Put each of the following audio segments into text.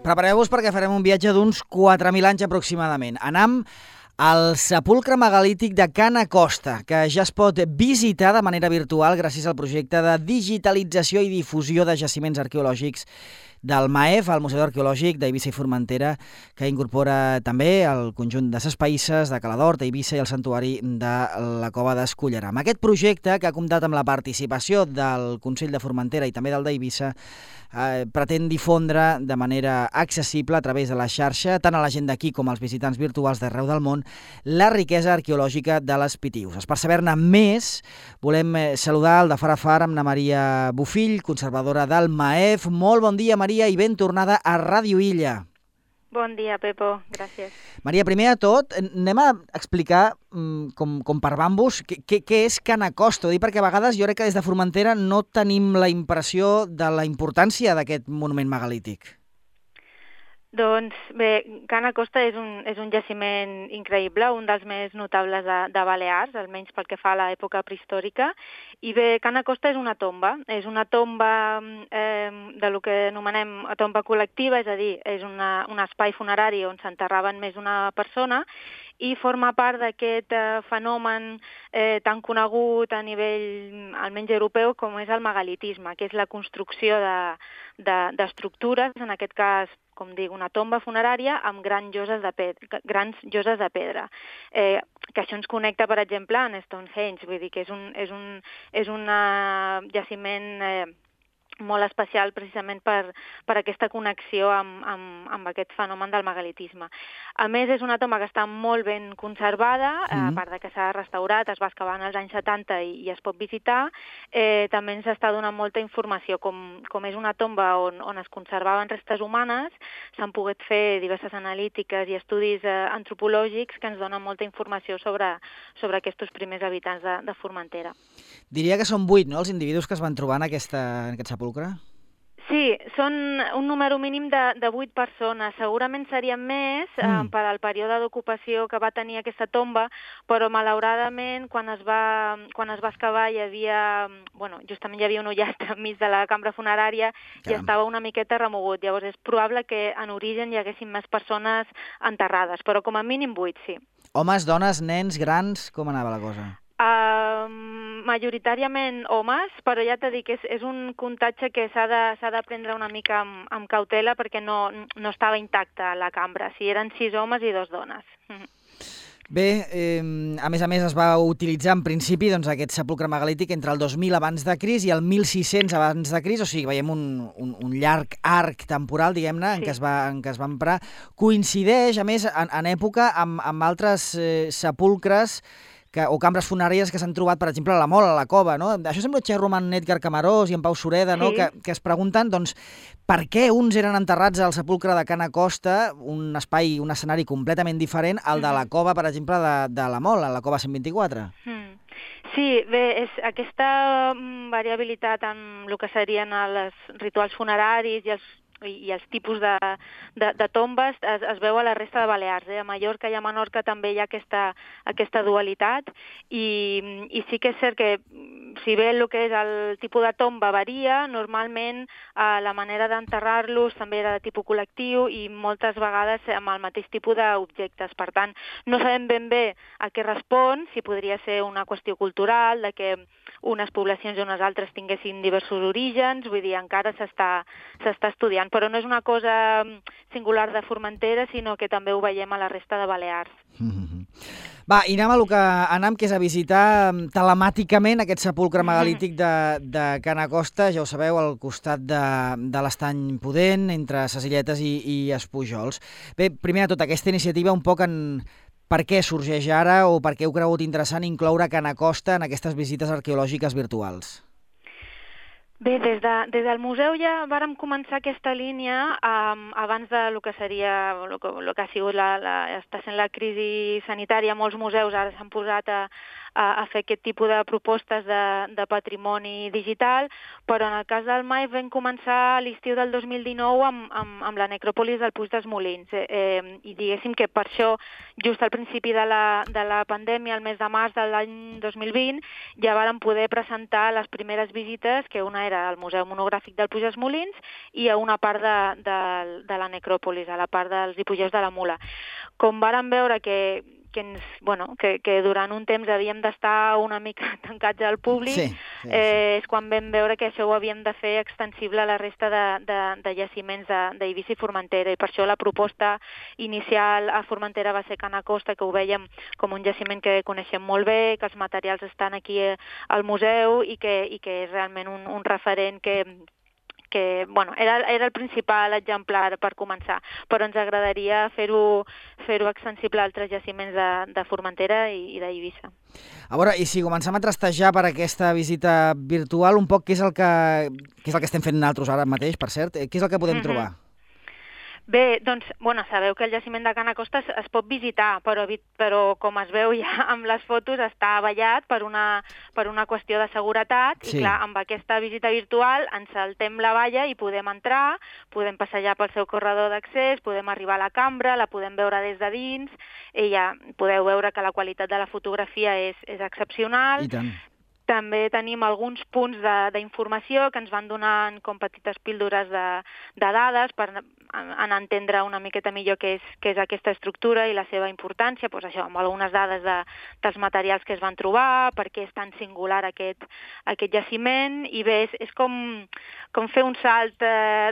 Prepareu-vos perquè farem un viatge d'uns 4.000 anys aproximadament. Anam al sepulcre megalític de Ca n'Acosta, que ja es pot visitar de manera virtual gràcies al projecte de digitalització i difusió de jaciments arqueològics del MAEF, el Museu Arqueològic d'Eivissa i Formentera, que incorpora també el conjunt de ses Païsses, de Cala d'Hort, Eivissa i el santuari de la Cova d'Esculleram. Aquest projecte, que ha comptat amb la participació del Consell de Formentera i també del d'Eivissa, pretén difondre de manera accessible a través de la xarxa, tant a la gent d'aquí com als visitants virtuals d'arreu del món, la riquesa arqueològica de les Pitiüses. Per saber-ne més, volem saludar el de far a far amb na Maria Bofill, conservadora del MAEF. Molt bon dia, Maria, i ben tornada a Ràdio Illa. Bon dia, Pepo. Gràcies. Maria, primer de tot, anem a explicar com per bambus què és Ca n'Acosta. Ho dic perquè a vegades jo crec que des de Formentera no tenim la impressió de la importància d'aquest monument megalític. Doncs bé, Ca n'Acosta és un jaciment increïble, un dels més notables de Balears, almenys pel que fa a l'època prehistòrica. I bé, Ca n'Acosta és una tomba de lo que anomenem tomba col·lectiva, és a dir, és un espai funerari on s'enterraven més d'una persona i forma part d'aquest fenomen tan conegut a nivell almenys europeu com és el megalitisme, que és la construcció d'estructures, en aquest cas, com dic, una tomba funerària amb grans lloses de pedra. Que això ens connecta, per exemple, en Stonehenge, vull dir que és un jaciment molt especial precisament per aquesta connexió amb aquest fenomen del megalitisme. A més, és una tomba que està molt ben conservada, a part de que s'ha restaurat, es va excavar en els anys 70 i es pot visitar. També ens està donant molta informació. Com és una tomba on es conservaven restes humanes, s'han pogut fer diverses analítiques i estudis antropològics que ens donen molta informació sobre aquests primers habitants de Formentera. Diria que són 8, no?, els individus que es van trobar en aquest sepulcre? Sí, són un número mínim de 8 persones. Segurament serien més per al període d'ocupació que va tenir aquesta tomba, però malauradament quan es va excavar justament hi havia un ullat enmig de la cambra funerària i estava una miqueta remogut. Llavors és probable que en origen hi haguessin més persones enterrades, però com a mínim 8, sí. Homes, dones, nens, grans, com anava la cosa? Majoritàriament homes, però ja t'he dit que és un comptatge que s'ha de prendre una mica amb cautela perquè no estava intacta la cambra. Si eren 6 homes i 2 dones. Bé, a més es va utilitzar en principi aquest sepulcre megalític entre el 2000 abans de Crist i el 1600 abans de Crist, o sigui, veiem un llarg arc temporal, diguem-ne, en què es va emprar. Coincideix, a més, en època amb altres sepulcres o cambres funeràries que s'han trobat, per exemple, a la Mola, a la Cova, no? Això sembla xerro amb en Edgar Camarós i en Pau Sureda, no? Que es pregunten, doncs, per què uns eren enterrats al sepulcre de Ca n'Acosta, un escenari completament diferent al de la Cova, per exemple, de la Mola, la Cova 124? Sí, bé, és aquesta variabilitat en el que serien els rituals funeraris i els tipus de tombes es veu a la resta de Balears. A Mallorca i a Menorca també hi ha aquesta dualitat i sí que és cert que si bé el que és el tipus de tomba varia, normalment la manera d'enterrar-los també era de tipus col·lectiu i moltes vegades amb el mateix tipus d'objectes. Per tant, no sabem ben bé a què respon, si podria ser una qüestió cultural, de que unes poblacions i unes altres tinguessin diversos orígens, vull dir, encara s'està estudiant, però no és una cosa singular de Formentera, sinó que també ho veiem a la resta de Balears. Va, i anem a lo que anem, que és a visitar telemàticament aquest sepulcre megalític de Ca n'Acosta, ja ho sabeu, al costat de l'Estany Pudent, entre Ses Illetes i Espujols. Bé, primer de tot, aquesta iniciativa un poc per què sorgeix ara o per què heu cregut interessant incloure Ca n'Acosta en aquestes visites arqueològiques virtuals? Bé, des del museu ja vàrem començar aquesta línia abans de lo que seria, lo que ha sigut està sent la crisi sanitària. Molts museus ara s'han posat a a fer aquest tipus de propostes de patrimoni digital, però en el cas del MAIF vam començar a l'estiu del 2019 amb la necròpolis del Puig dels Molins. I diguéssim que per això, just al principi de la pandèmia, el mes de març de l'any 2020, ja vàrem poder presentar les primeres visites, que una era al Museu Monogràfic del Puig dels Molins i a una part de la necròpolis, a la part dels hipogeus de la Mula. Com vàrem veure que durant un temps havíem d'estar una mica tancats al públic, és quan vam veure que això ho havíem de fer extensible a la resta de jaciments d'Eivissa i Formentera, i per això la proposta inicial a Formentera va ser Cana Costa, que ho vèiem com un jaciment que coneixem molt bé, que els materials estan aquí al museu i que és realment un referent que era el principal exemplar per començar, però ens agradaria fer-ho extensible a altres jaciments de Formentera i d'Eivissa. A veure, i si comencem a trastejar per aquesta visita virtual, un poc què és el que estem fent nosaltres ara mateix, per cert? Què és el que podem trobar? Bé, doncs, sabeu que el jaciment de Cana Costa es pot visitar, però com es veu ja amb les fotos està avallat per una qüestió de seguretat, i clar, amb aquesta visita virtual ens saltem la valla i podem entrar, podem passejar pel seu corredor d'accés, podem arribar a la cambra, la podem veure des de dins, i ja podeu veure que la qualitat de la fotografia és excepcional. I tant. També tenim alguns punts d'informació que ens van donant com petites píldores de dades per entendre una miqueta millor què és aquesta estructura i la seva importància, doncs això, amb algunes dades dels materials que es van trobar, per què és tan singular aquest jaciment, i bé, és com fer un salt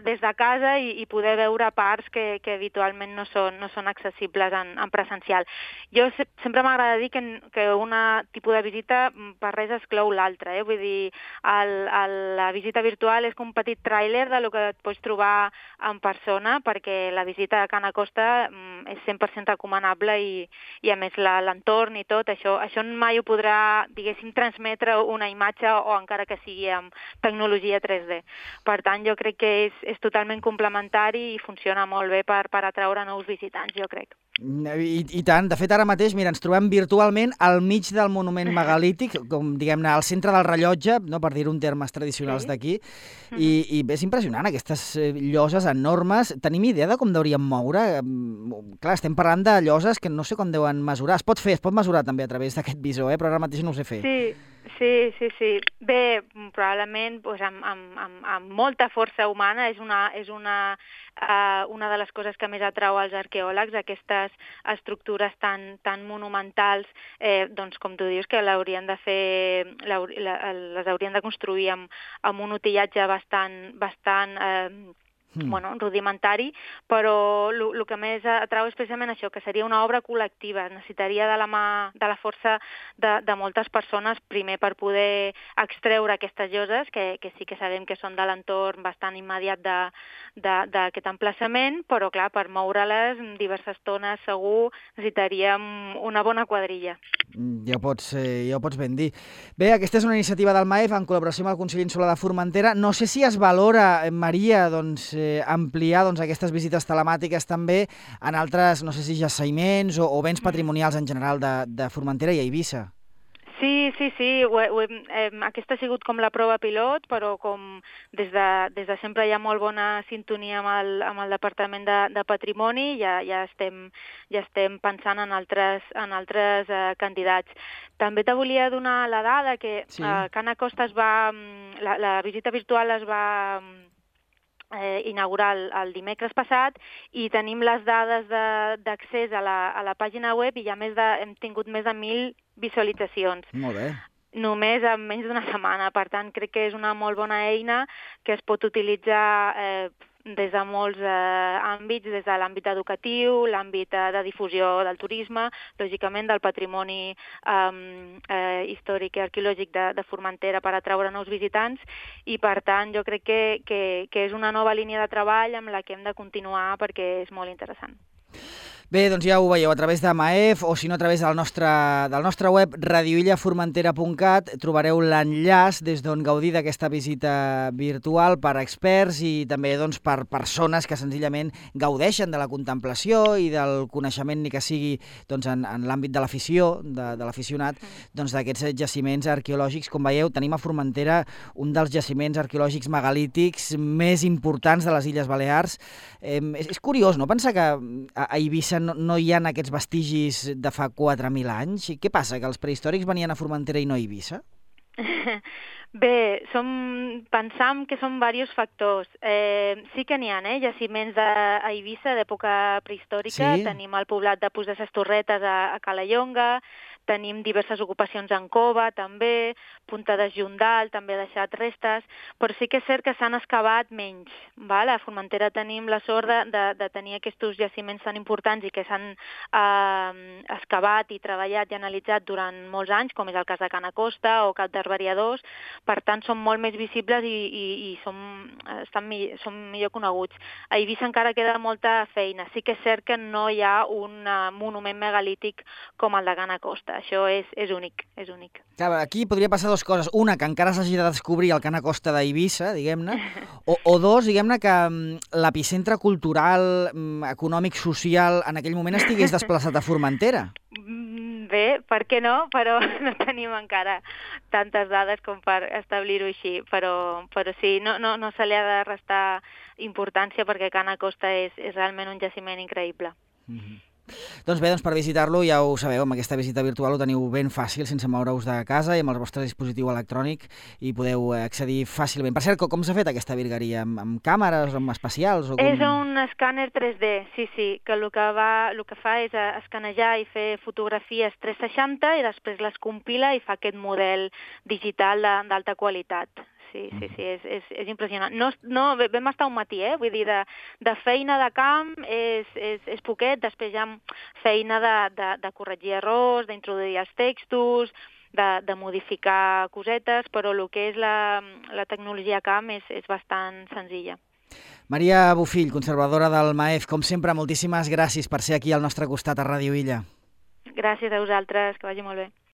des de casa i poder veure parts que habitualment no són accessibles en presencial. Jo sempre m'agrada dir que un tipus de visita per res exclou l'altre, vull dir, la visita virtual és com un petit tràiler del que et pots trobar en persona, perquè la visita a Cana Costa és 100% recomanable i a més l'entorn i tot, això mai ho podrà, diguéssim, transmetre una imatge o encara que sigui amb tecnologia 3D. Per tant, jo crec que és totalment complementari i funciona molt bé per atraure nous visitants, jo crec. I tant. De fet, ara mateix, mira, ens trobem virtualment al mig del monument megalític, com diguem-ne, al centre del rellotge, no, per dir-ho en termes tradicionals d'aquí, i és impressionant, aquestes lloses enormes. Tenim idea de com deuríem moure? Clar, estem parlant de lloses que no sé com deuen mesurar. Es pot mesurar també a través d'aquest visor, però ara mateix no ho sé fer. Sí. Bé, probablement amb molta força humana és una de les coses que més atrau als arqueòlegs, aquestes estructures tan monumentals, doncs com tu dius, que les haurien de construir amb un utillatge bastant rudimentari, però el que més atrau és precisament això, que seria una obra col·lectiva. Necessitaria de la mà, de la força de moltes persones, primer per poder extreure aquestes lloses, que sí que sabem que són de l'entorn bastant immediat d'aquest emplaçament, però clar, per moure-les diverses tones segur necessitaríem una bona quadrilla. Ja ho pots ben dir. Bé, aquesta és una iniciativa del MAEF en col·laboració amb el Consell Insular de Formentera. No sé si es valora, Maria, ampliar aquestes visites telemàtiques també en altres, no sé si jaciments o béns patrimonials en general de Formentera i Eivissa. Sí. Aquesta ha sigut com la prova pilot, però com des de sempre hi ha molt bona sintonia amb el Departament de Patrimoni, ja estem pensant en altres candidats. També te volia donar la dada que Cana Costa la visita virtual es va inaugurar el dimecres passat i tenim les dades d'accés a la pàgina web i ja hem tingut més de 1.000 visualitzacions. Molt bé. Només en menys d'una setmana. Per tant, crec que és una molt bona eina que es pot utilitzar des de molts àmbits, des de l'àmbit educatiu, l'àmbit de difusió del turisme, lògicament del patrimoni històric i arqueològic de Formentera per atraure nous visitants, i per tant jo crec que és una nova línia de treball amb la que hem de continuar perquè és molt interessant. Bé, doncs ja ho veieu, a través de Maef o si no a través del nostre web radioillaformentera.cat trobareu l'enllaç des d'on gaudir d'aquesta visita virtual per experts i també doncs, per persones que senzillament gaudeixen de la contemplació i del coneixement, ni que sigui doncs, en l'àmbit de l'afició, de l'aficionat, doncs, d'aquests jaciments arqueològics. Com veieu, tenim a Formentera un dels jaciments arqueològics megalítics més importants de les Illes Balears. És curiós, no?, pensar que a Eivissa no hi ha aquests vestigis de fa 4.000 anys. I què passa, que els prehistòrics venien a Formentera i no a Eivissa? Bé, pensam que són diversos factors. Sí que n'hi ha, jaciments a Eivissa d'època prehistòrica. Sí? Tenim el poblat de Puig de ses Torretes a Calellonga, tenim diverses ocupacions en cova, també, Punta de Jondal, també ha deixat restes, però sí que és cert que s'han excavat menys. Val? A Formentera tenim la sort de tenir aquests jaciments tan importants i que s'han excavat i treballat i analitzat durant molts anys, com és el cas de Cana Costa o Cap d'Arbariadors. Per tant, són molt més visibles i són millor coneguts. A Eivissa encara queda molta feina. Sí que és cert que no hi ha un monument megalític com el de Cana Costa. Això és únic, és únic. Clar, aquí podria passar dues coses. Una, que encara s'hagi de descobrir el Cana Costa d'Eivissa, diguem-ne, o dos, diguem-ne, que l'epicentre cultural, econòmic, social, en aquell moment estigués desplaçat a Formentera. Bé, per què no? Però no tenim encara tantes dades com per establir-ho així. Però sí, no se li ha de restar importància perquè Cana Costa és realment un jaciment increïble. Doncs bé, per visitar-lo ja ho sabeu, amb aquesta visita virtual ho teniu ben fàcil, sense moure-us de casa i amb el vostre dispositiu electrònic i podeu accedir fàcilment. Per cert, com s'ha fet aquesta virgueria? Amb càmeres, amb especials? És un escàner 3D, sí, que el que fa és escanejar i fer fotografies 360 i després les compila i fa aquest model digital d'alta qualitat. Sí, és impressionant. Vam estar un matí, vull dir, de feina de camp és poquet, després ja feina de corregir errors, d'introduir els textos, de modificar cosetes, però el que és la tecnologia camp és bastant senzilla. Maria Bofill, conservadora del Maef, com sempre, moltíssimes gràcies per ser aquí al nostre costat a Ràdio Illa. Gràcies a vosaltres, que vagi molt bé.